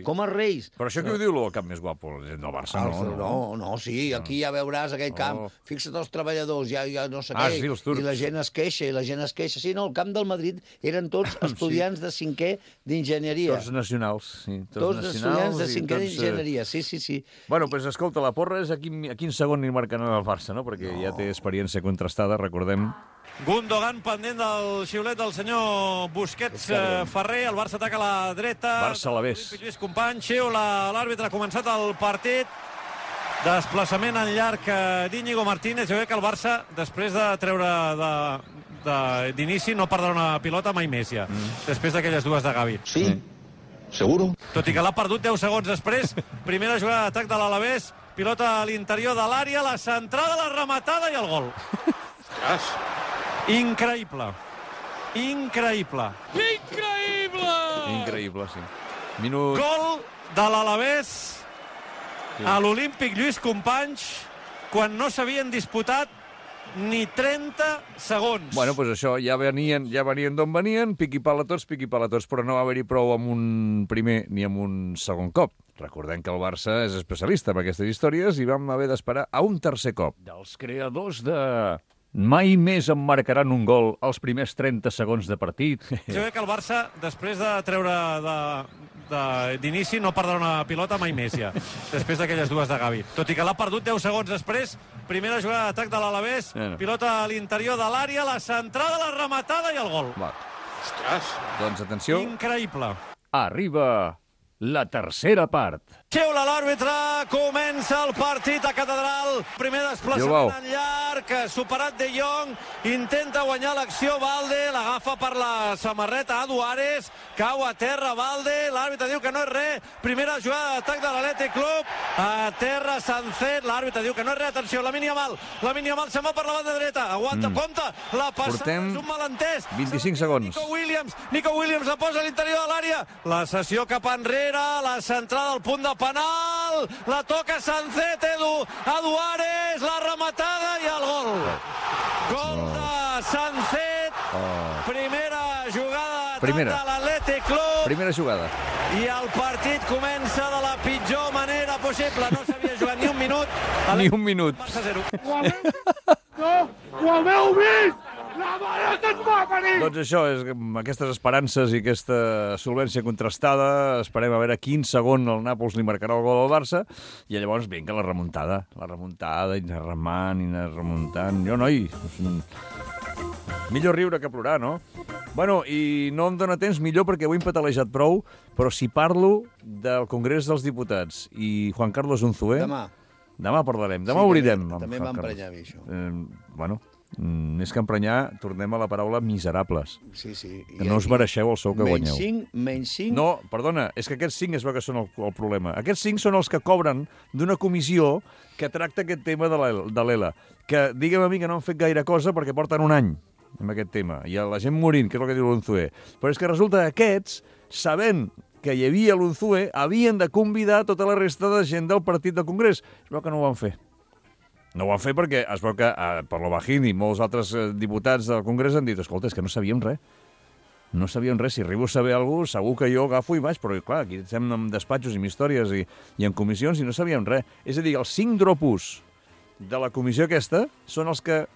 com els reis. Però això què ho diu, el camp més guapo? El del Barça, no, sí, aquí ja veuràs aquell camp. Fixa't els treballadors, ja no sé què, i la gent es queixa, Sí, no, el camp del Madrid eren tots estudiants de 5è d'enginyeria. Tots nacionals, sí. Tots estudiants de 5è d'enginyeria, sí. Bueno, doncs escolta, la porra és a quin segon ni marcant el Barça, no? Perquè ja té experiència contrastada, recordem. Gundogan pendent del xiulet del senyor Busquets Ferrer. El Barça ataca a la dreta. Barça-Alavés. Lluís Companys, xiula l'àrbitre, ha començat el partit. Desplaçament en llarg d'Íñigo Martínez. Jo crec que el Barça, després de treure d'inici, no perdrà una pilota mai més ja. Després d'aquelles dues de Gavi. Sí, seguro. Tot i que l'ha perdut 10 segons després. Primera jugada d'atac de l'Alavés. Pilota a l'interior de l'àrea, la centrada, la rematada i el gol. Ostres. Increïble, sí. Gol de l'Alavés a l'Olímpic Lluís Companys quan no s'havien disputat ni 30 segons. Bueno, doncs això, ja venien d'on venien, piqui-pala tots, però no va haver-hi prou amb un primer ni amb un segon cop. Recordem que el Barça és especialista en aquestes històries i vam haver d'esperar a un tercer cop. Dels creadors de mai més em marcaran un gol als primers 30 segons de partit. Jo crec que el Barça, després de treure d'inici, no perdrà una pilota mai més ja, després d'aquelles dues de Gavi. Tot i que l'ha perdut 10 segons després, primera jugada d'atac de l'Alavés, pilota a l'interior de l'àrea, la centrada, la rematada i el gol. Ostres. Doncs atenció. Increïble. Arriba la tercera part. Xiula l'àrbitre, comença el partit a Catedral. Primer desplaçament en llarg, superat De Jong, intenta guanyar l'acció Valde, l'agafa per la samarreta a Duares, cau a terra Valde, l'àrbitre diu que no és res, primera jugada d'atac de l'Athletic Club, a terra Sancet, l'àrbitre diu que no és res, atenció, Lamine Yamal se'n va per la banda dreta, aguanta, compta, la passada és un malentès. 25 segons. Nico Williams la posa a l'interior de l'àrea, la cessió cap enrere, la centrada al punt de penal, la toca Sancet, Edu, a Duares, la rematada i el gol. Gol de Sancet, primera jugada de l'Athletic Club. Primera jugada. I el partit comença de la pitjor manera possible. No s'havia jugat ni un minut. Ni un minut. Barça 0. Ho haveu vist! La mare que et va venir! Doncs això, amb aquestes esperances i aquesta solvència contrastada, esperem a veure quin segon el Nàpols li marcarà el gol al Barça, i llavors vinga la remuntada, i anar remant, i anar remuntant. Jo, noi, millor riure que plorar, no? Bueno, i no em dóna temps millor perquè ho he empatalejat prou, però si parlo del Congrés dels Diputats i Juan Carlos Unzué... Demà parlarem, demà obrirem. També em va emprenyar a mi, això. Bueno, més que emprenyar, tornem a la paraula miserables. Sí. Que no us mereixeu el sou que guanyeu. Menys 5... No, perdona, és que aquests 5 es veu que són el problema. Aquests 5 són els que cobren d'una comissió que tracta aquest tema de l'ELA. Que digue'm a mi que no han fet gaire cosa perquè porten un any amb aquest tema. I la gent morint, que és el que diu l'Unzué. Però és que resulta que aquests, sabent que hi havia l'Unzué, havien de convidar tota la resta de gent del partit del Congrés. Es veu que no ho van fer. No ho van fer perquè es veu que per l'Obajín i molts altres diputats del Congrés han dit, escolta, és que no sabíem res. No sabíem res. Si arribo a saber alguna cosa, segur que jo agafo i vaig, però clar, aquí estem en despatxos i amb històries i en comissions i no sabíem res. És a dir, els 5 dropos de la comissió aquesta són els que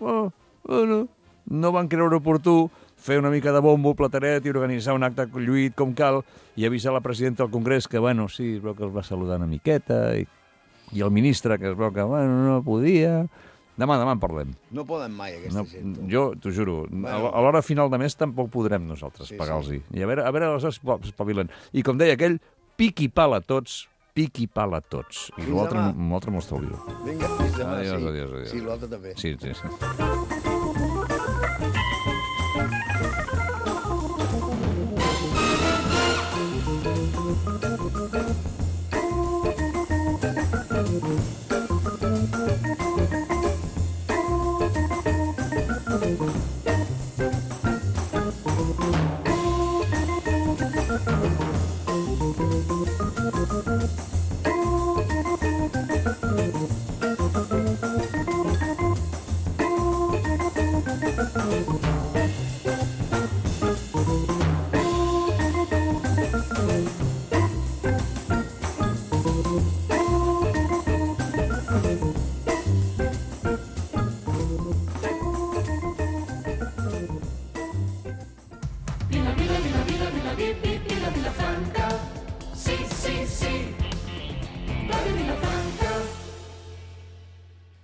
no van creure oportú fer una mica de bombo, plateret i organitzar un acte lluït com cal i avisar la presidenta del Congrés que, bueno, sí, es veu que els va saludar una miqueta i el ministre que es veu que, bueno, no podia... Demà en parlem. No poden mai, aquesta gent. Jo t'ho juro, a l'hora final de mes tampoc podrem nosaltres pagar-los-hi. I a veure, aleshores espavilen. I com deia aquell, piqui pala tots, I l'altre m'ho estalvio. Vinga, fins demà. Adiós. Sí, l'altre també. Sí.